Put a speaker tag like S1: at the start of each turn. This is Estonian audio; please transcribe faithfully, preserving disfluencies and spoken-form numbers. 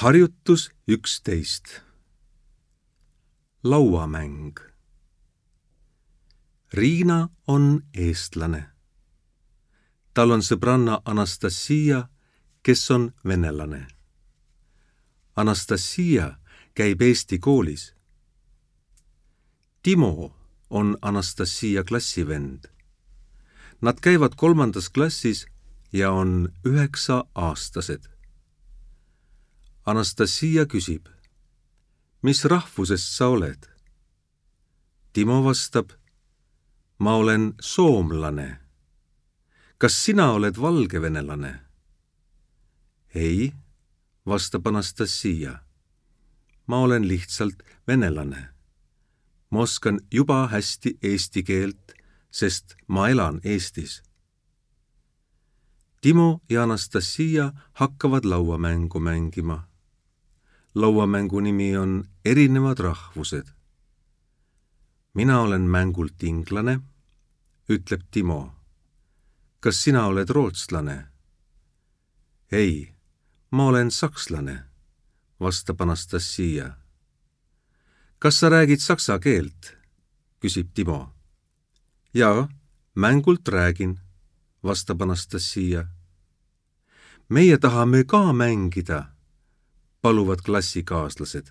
S1: Harjutus üksteist. Lauamäng. Riina on eestlane. Tal on sõbranna Anastasia, kes on venelane. Anastasia käib eesti koolis. Timo on Anastasia klassivend. Nad käivad kolmandas klassis ja on üheksa aastased. Anastasia küsib, mis rahvusest sa oled? Timo vastab, ma olen soomlane. Kas sina oled valgevenelane? Ei, vastab Anastasia. Ma olen lihtsalt venelane. Ma oskan juba hästi eesti keelt, sest ma elan Eestis. Timo ja Anastasia hakkavad lauamängu mängima. Lauamängu nimi on Erinevad rahvused. Mina olen mängult inglane, ütleb Timo. Kas sina oled rootslane? Ei, ma olen sakslane, vastab Anastasia. Kas sa räägid saksa keelt? Küsib Timo. Jaa, mängult räägin, vastab Anastasia. Meie tahame ka mängida, paluvad klassikaaslased.